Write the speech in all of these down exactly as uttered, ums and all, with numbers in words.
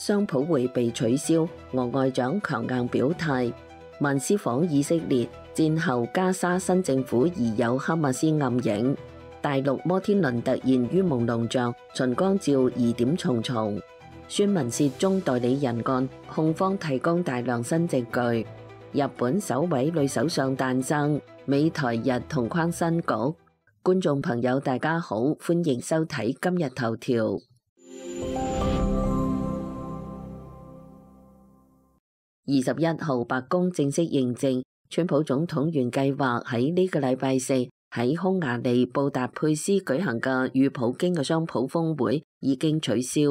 商普會被取消，俄外長強硬表態。曼斯訪以色列，戰後加沙新政府疑有哈馬斯暗影。大陸摩天輪突然於朦朧像，秦剛照疑點重重。孫文涉中代理人案，控方提供大量新證據。日本首位女首相誕生，美台日同框新局。觀眾朋友大家好，歡迎收睇今日頭條。二十一號，白宮正式認證，川普總統原計劃喺呢個禮拜四喺匈牙利布達佩斯舉行嘅與普京嘅雙普峰會已經取消。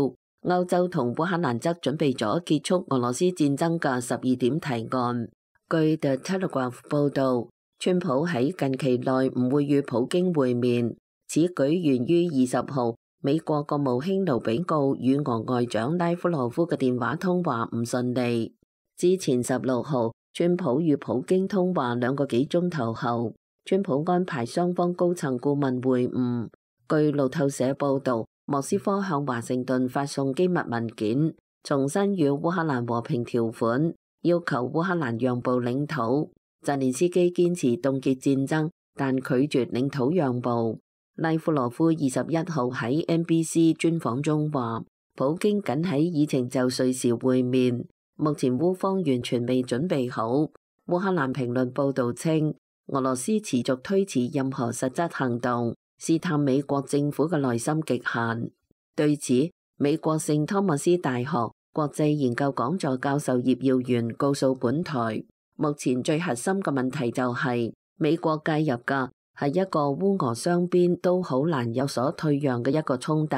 歐洲同烏克蘭則準備咗結束俄羅斯戰爭嘅十二點提案。據 The Telegraph 報道，川普喺近期內唔會與普京會面。此舉源於二十號，美國國務卿盧比奧與俄外長拉夫羅夫嘅電話通話唔順利。之前十六號，川普與普京通話兩個幾鐘頭後，川普安排雙方高層顧問會晤。據路透社報道，莫斯科向華盛頓發送機密文件，重申與烏克蘭和平條款，要求烏克蘭讓步領土。澤連斯基堅持凍結戰爭，但拒絕領土讓步。拉夫羅夫二十一號喺 N B C 專訪中話，普京僅喺議程就緒時會面。目前烏方完全未準備好。烏克蘭評論報道稱，俄羅斯持續推遲任何實質行動，試探美國政府嘅內心極限。對此，美國聖托馬斯大學國際研究講座教授葉耀元告訴本台，目前最核心嘅問題就係、是、美國介入嘅係一個烏俄雙邊都好難有所退讓嘅一個衝突。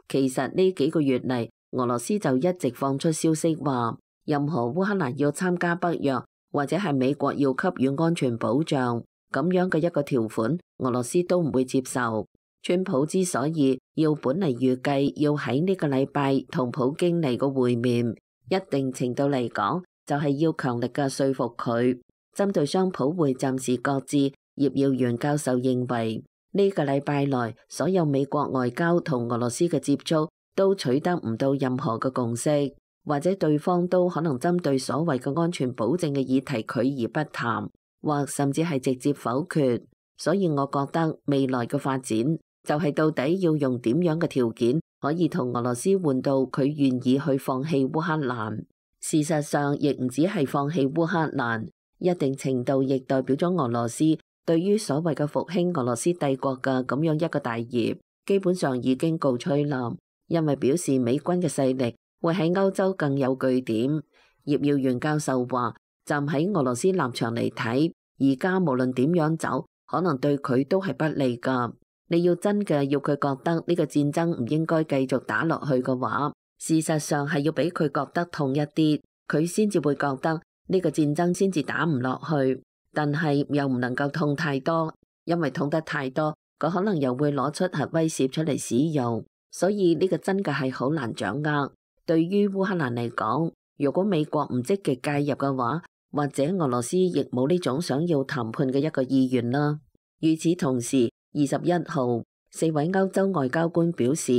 其實呢幾個月嚟，俄羅斯就一直放出消息話，任何烏克蘭要參加北約，或者係美國要給予安全保障咁樣嘅一個條款，俄羅斯都唔會接受。川普之所以要本嚟預計要喺呢個禮拜同普京嚟個會面，一定程度嚟講，就係要強力嘅說服佢。針對雙普會暫時擱置，葉耀元教授認為呢個禮拜內所有美國外交同俄羅斯嘅接觸都取得唔到任何嘅共識。或者對方都可能針對所謂嘅安全保證嘅議題拒而不談，或甚至係直接否決。所以我覺得未來嘅發展就係到底要用點樣嘅條件可以同俄羅斯換到佢願意去放棄烏克蘭。事實上亦唔止係放棄烏克蘭，一定程度亦代表咗俄羅斯對於所謂嘅復興俄羅斯帝國嘅咁樣一個大業基本上已經告吹冧，因為表示美軍嘅勢力會喺歐洲更有據點。葉耀元教授話，站喺俄羅斯立場嚟睇，而家無論點樣走，可能對佢都係不利噶。你要真嘅要佢覺得呢個戰爭唔應該繼續打落去嘅話，事實上係要俾佢覺得痛一啲，佢先至會覺得呢個戰爭先至打唔落去。但係又唔能夠痛太多，因為痛得太多，佢可能又會攞出核威懾出嚟使用。所以呢個真嘅係好難掌握。對於烏克蘭嚟講，如果美國唔積極介入嘅話，或者俄羅斯亦冇呢種想要談判嘅一個意願啦。與此同時，二十一號，四位歐洲外交官表示，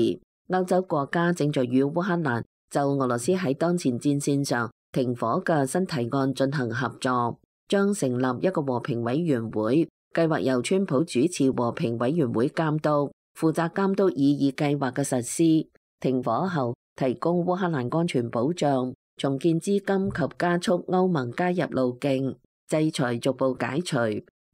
歐洲國家正在與烏克蘭就俄羅斯喺當前戰線上停火嘅新提案進行合作，將成立一個和平委員會，計劃由川普主持和平委員會監督，負責監督擬議計劃嘅實施。停火後，提供烏克蘭安全保障，重建資金及加速歐盟加入路徑，制裁逐步解除，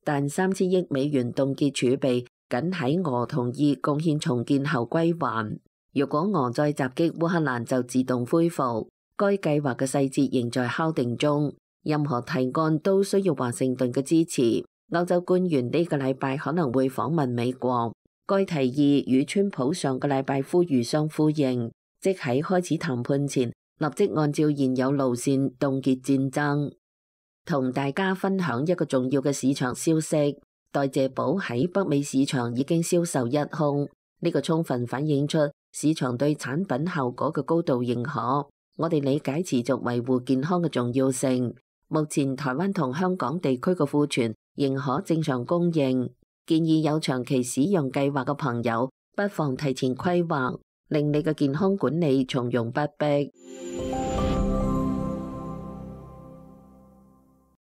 但三千億美元凍結儲備僅喺俄同意貢獻重建後歸還。如果俄再襲擊烏克蘭，就自動恢復。該計劃嘅細節仍在敲定中，任何提案都需要華盛頓嘅支持。歐洲官員呢個禮拜可能會訪問美國。該提議與川普上個禮拜呼籲相呼應。即喺開始談判前，立即按照現有路線凍結戰爭。同大家分享一個重要嘅市場消息，代謝寶喺北美市場已經銷售一空，呢個充分反映出市場對產品效果嘅高度認可。我哋理解持續維護健康嘅重要性。目前台灣同香港地區嘅庫存仍可正常供應，建議有長期使用計劃嘅朋友不妨提前規劃。令你嘅健康管理從容不迫。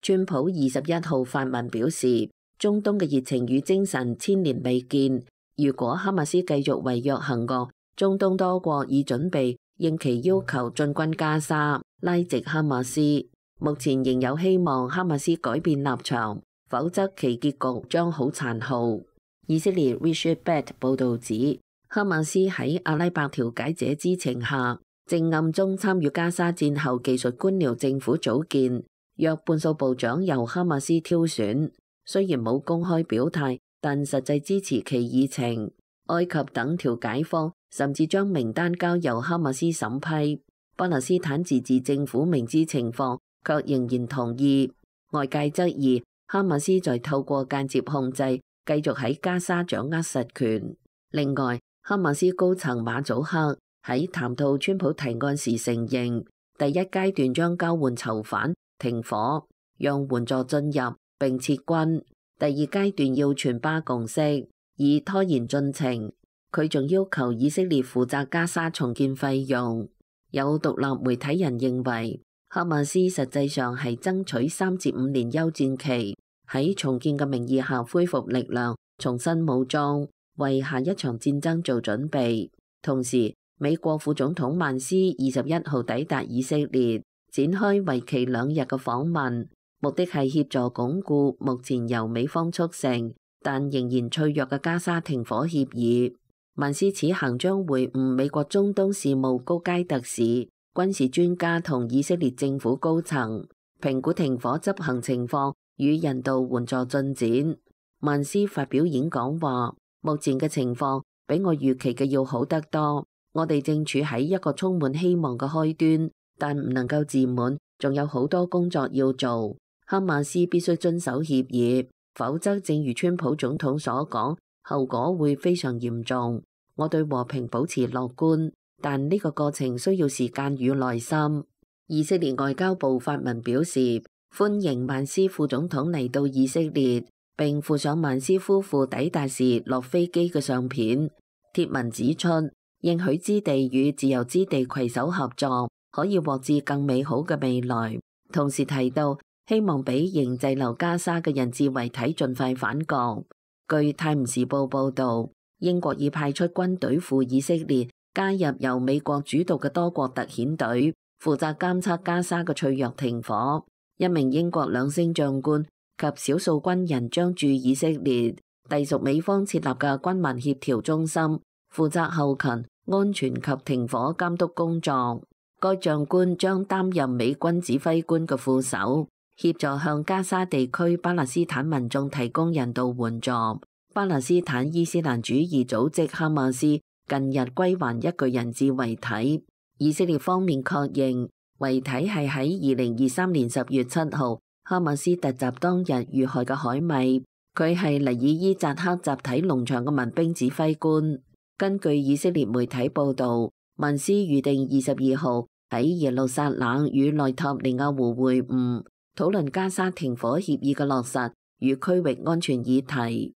川普二十一號發文表示，中東嘅熱情與精神千年未見。如果哈馬斯繼續違約行惡，中東多國已準備應其要求進軍加沙，拉直哈馬斯。目前仍有希望哈馬斯改變立場，否則其結局將好殘酷。以色列 Richard Bett 報導指，哈馬斯喺阿拉伯調解者知情下，正暗中參與加沙戰後技術官僚政府組建，約半數部長由哈馬斯挑選。雖然冇公開表態，但實際支持其議程。埃及等調解方甚至將名單交由哈馬斯審批。巴勒斯坦自治政府明知情況，卻仍然同意。外界質疑哈馬斯在透過間接控制，繼續喺加沙掌握實權。另外，哈馬斯高層馬祖克喺談到川普提案時承認，第一階段將交換囚犯、停火，讓援助進入並撤軍。第二階段要全巴共識，以拖延進程。佢仲要求以色列負責加沙重建費用。有獨立媒體人認為，哈馬斯實際上係爭取三至五年休戰期，喺重建嘅名義下恢復力量，重新武裝，為下一場戰爭做準備。同時，美國副總統曼斯二十一號抵達以色列，展開為期兩日嘅訪問。目的係協助鞏固目前由美方促成但仍然脆弱嘅加沙停火協議。曼斯此行將會晤美國中東事務高階特使、軍事專家同以色列政府高層，評估停火執行情況與人道援助進展。曼斯發表演講話，目前嘅情況比我預期嘅要好得多。我哋正處喺一個充滿希望嘅開端，但唔能夠自滿，仲有好多工作要做。哈馬斯必須遵守協議，否則正如川普總統所講，後果會非常嚴重。我對和平保持樂觀，但呢個過程需要時間與耐心。以色列外交部發文表示，歡迎曼斯副總統嚟到以色列，並附上曼斯夫婦抵達時落飛機嘅相片。貼文指出，應許之地與自由之地攜手合作，可以獲致更美好嘅未來。同時提到，希望俾仍滯留加沙嘅人質遺體盡快返國。據泰晤士報報導，英國已派出軍隊赴以色列，加入由美國主導嘅多國特遣隊，負責監測加沙嘅脆弱停火。一名英國兩星將官及少數軍人將駐以色列，隸屬美方設立嘅軍民協調中心，負責後勤、安全及停火監督工作。該將官將擔任美軍指揮官嘅副手，協助向加沙地區巴勒斯坦民眾提供人道援助。巴勒斯坦伊斯蘭主義組織哈馬斯近日歸還一具人質遺體，以色列方面確認遺體係喺二零二三年十月七號哈馬斯突襲當日遇害嘅海米，佢係尼爾伊扎克集體農場嘅民兵指揮官。根據以色列媒體報導，曼斯預定二十二號喺耶路撒冷與內塔尼亞胡會晤，討論加沙停火協議嘅落實與區域安全議題。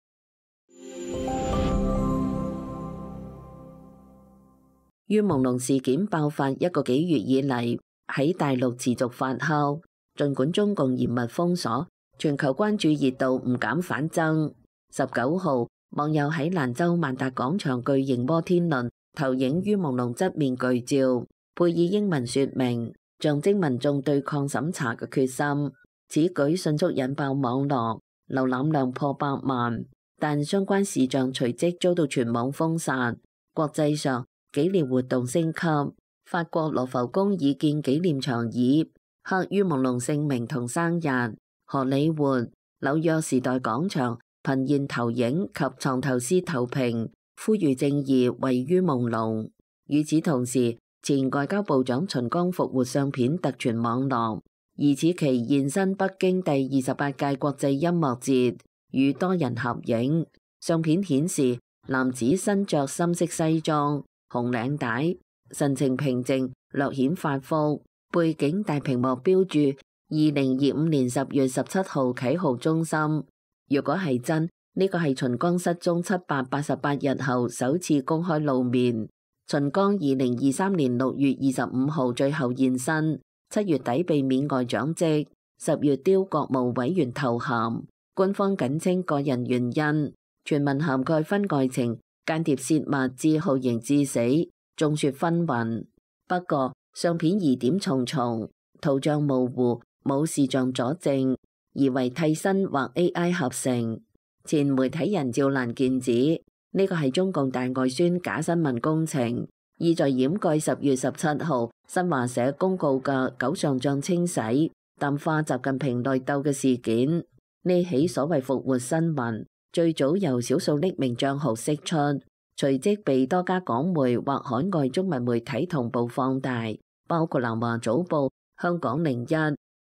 於朦朧事件爆發一個幾月以嚟，喺大陸持續發酵。儘管中共嚴密封鎖，全球關注熱度唔減反增。十九號，網友喺蘭州萬達廣場巨型摩天輪投影於朦朧側面巨照，配以英文說明，象徵民眾對抗審查嘅決心。此舉迅速引爆網絡，瀏覽量破百萬，但相關視像隨即遭到全網封殺。國際上，紀念活動升級，法國羅浮宮已建紀念長椅，刻於朦朧姓名同生日。荷里活、紐約時代廣場頻現投影及藏頭詩投屏，呼籲正義位於朦朧。與此同時，前外交部長秦剛復活相片突傳網絡，疑似其現身北京第二十八屆國際音樂節，與多人合影。相片顯示男子身着深色西裝、紅領帶，神情平靜，略顯發福。背景大屏幕標注二零二五年十月十七號啟豪中心。如果係真，呢個係秦剛失蹤七百八十八日後首次公開露面。秦剛二零二三年六月二十五號最後現身，七月底被免外長職，十月丟國務委員頭銜，官方僅稱個人原因，傳聞涵蓋婚外情、間諜泄密至酷刑致死，眾說紛紜。不過相片疑點重重，圖像模糊，冇視像佐證，疑為替身或 A I 合成。前媒體人趙蘭健指，呢個係中共大外宣假新聞工程，意在掩蓋十月十七號新華社公告嘅九上將清洗、淡化習近平內鬥嘅事件。呢起所謂復活新聞，最早由少數匿名帳號釋出，隨即被多家港媒或海外中文媒體同步放大，包括南華早報、香港零一、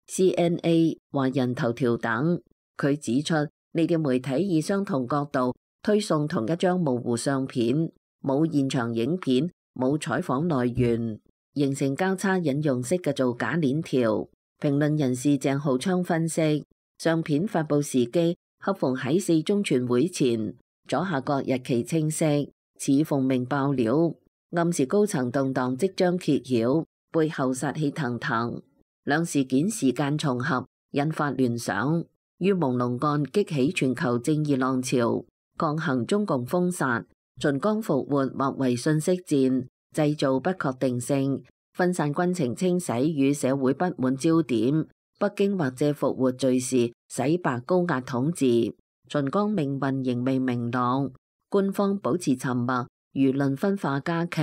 C N A、華人頭條等。佢指出，呢啲媒體以相同角度推送同一張模糊相片，冇現場影片，冇採訪來源，形成交叉引用式嘅造假鏈條。評論人士鄭浩昌分析，相片發布時機恰逢喺四中全會前，左下角日期清晰，似奉命爆料，暗示高層動盪即將揭曉，背後殺氣騰騰。兩事件時間重合，引發聯想。於朦朧案激起全球正義浪潮，抗衡中共封殺，秦剛復活或為信息戰，製造不確定性，分散軍情清洗與社會不滿焦點。北京或借復活敘事洗白高壓統治。秦剛命運仍未明朗，官方保持沉默，輿論分化加劇，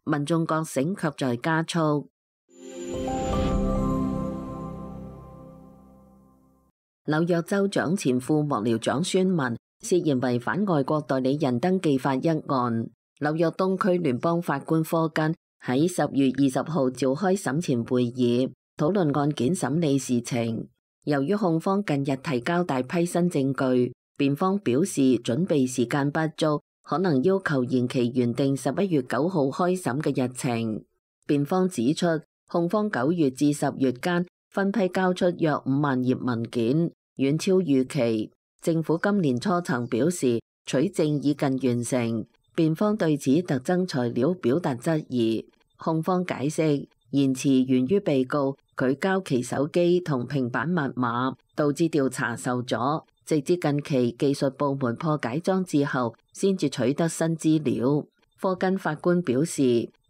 民眾覺醒卻在加速。紐約州長前副幕僚長孫文涉嫌違反外國代理人登記法一案，紐約東區聯邦法官科根喺十月二十號召開審前會議，討論案件審理事情。由於控方近日提交大批新證據，辯方表示準備時間不足，可能要求延期原定十一月九號開審嘅日程。辯方指出，控方九月至十月間分批交出約五萬頁文件，遠超預期。政府今年初曾表示取證已近完成，辯方對此特徵材料表達質疑。控方解釋，延遲源於被告拒交其手機同平板密碼，導致調查受阻，直至近期技術部門破解裝置後先至取得新資料。科根法官表示，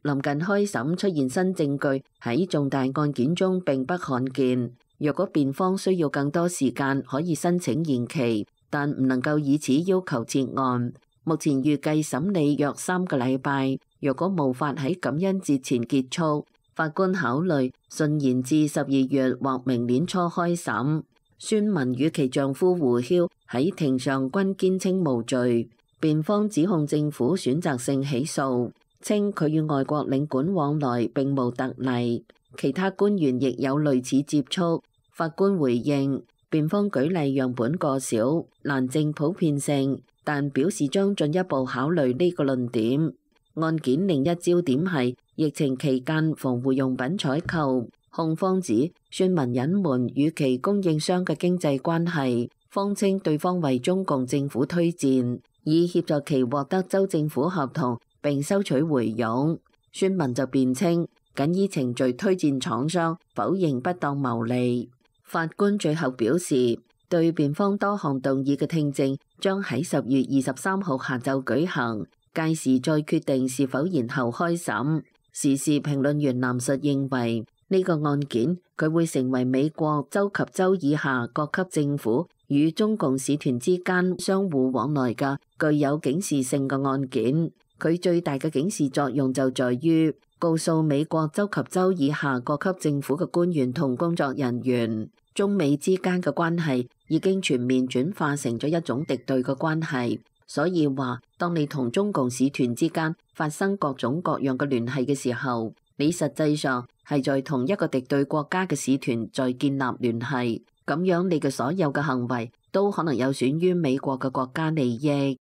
臨近開審出現新證據喺重大案件中並不罕見。若果辯方需要更多時間，可以申請延期，但唔能夠以此要求撤案。目前預計審理約三個禮拜，若果無法喺感恩節前結束，法官考慮順延至十二月或明年初開審。孫文與其丈夫胡曉喺庭上均堅稱無罪，辯方指控政府選擇性起訴，稱佢與外國領館往來並無特例，其他官員亦有類似接觸。法官回應，辯方舉例樣本過少，難證普遍性，但表示將進一步考慮呢個論點。案件另一焦點係疫情期間防護用品採購，控方指孫文隱瞞與其供應商嘅經濟關係，謊稱對方為中共政府推薦，以協助其獲得州政府合同並收取回佣。孫文就辯稱僅以程序推薦廠商，否認不當牟利。法官最後表示，對辯方多項動議嘅聽證將喺十月二十三號下晝舉行，屆時再決定是否延後開審。時事評論員藍述認為，呢個案件佢會成為美國州及州以下各級政府與中共使團之間相互往來嘅具有警示性嘅案件。佢最大嘅警示作用就在於告訴美國州及州以下各級政府嘅官員同工作人員，中美之間嘅關係已經全面轉化成咗一種敵對嘅關係。所以話，當你同中共使團之間發生各種各樣嘅聯繫嘅時候，你實際上係在同一個敵對國家嘅使團在建立聯繫，咁樣你嘅所有嘅行為都可能有損於美國嘅國家利益。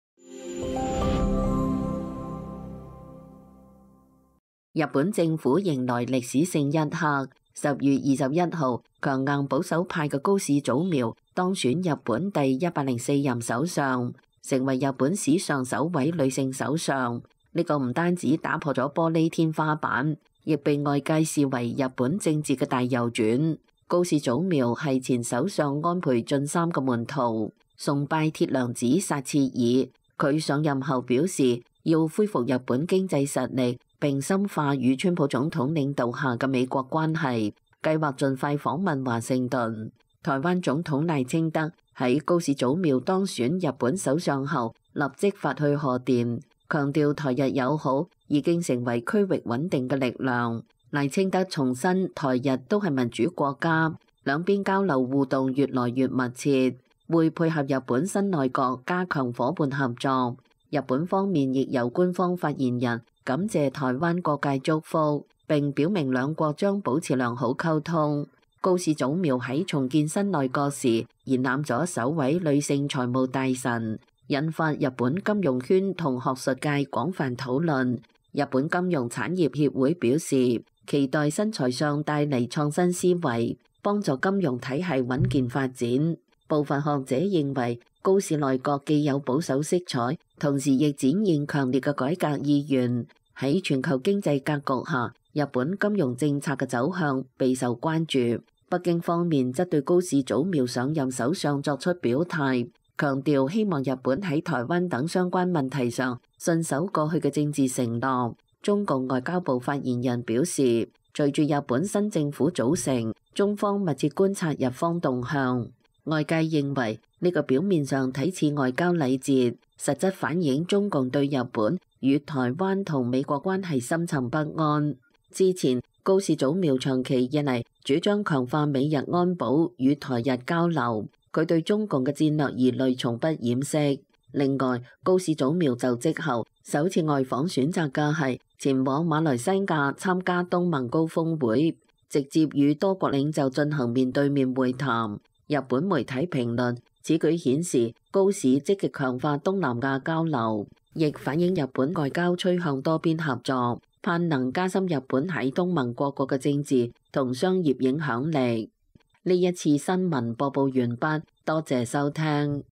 日本政府迎來歷史性一刻，十月二十一號，強硬保守派嘅高市早苗當選日本第一百零四任首相，成為日本史上首位女性首相。呢個唔單止打破咗玻璃天花板，亦被外界視為日本政治嘅大右轉。高市早苗係前首相安倍晉三嘅門徒，崇拜鐵娘子撒切爾。佢上任後表示要恢復日本經濟實力，並深化與川普總統領導下嘅美國關係，計劃盡快訪問華盛頓。台灣總統賴清德喺高市早苗當選日本首相後，立即發去賀電，強調台日友好已經成為區域穩定嘅力量。賴清德重申台日都係民主國家，兩邊交流互動越來越密切，會配合日本新內閣加強夥伴合作。日本方面亦由官方發言人感謝台灣各界祝福，並表明兩國將保持良好溝通。高市早苗喺重建新內閣時延攬咗首位女性財務大臣，引發日本金融圈同學術界廣泛討論。日本金融產業協會表示，期待新財相帶嚟創新思維，幫助金融體系穩健發展。部分學者認為，高市內閣既有保守色彩，同時亦展現強烈嘅改革意願。喺全球經濟格局下，日本金融政策嘅走向備受關注。北京方面則對高市早苗上任首相作出表態，強調希望日本喺台灣等相關問題上信守過去嘅政治承諾。中共外交部發言人表示，隨住日本新政府組成，中方密切觀察日方動向。外界認為呢個表面上睇似外交禮節，實質反映中共對日本與台灣同美國關係深沉不安。之前高市早苗長期以嚟主張強化美日安保與台日交流，佢對中共嘅戰略疑慮從不掩飾。另外，高市早苗就職後首次外訪選擇嘅係前往馬來西亞參加東盟高峰會，直接與多國領袖進行面對面會談。日本媒體評論此舉顯示高市積極強化東南亞交流，亦反映日本外交趨向多邊合作，盼能加深日本喺東盟各國嘅政治同商業影響力。呢一次新聞播報完畢，多謝收聽。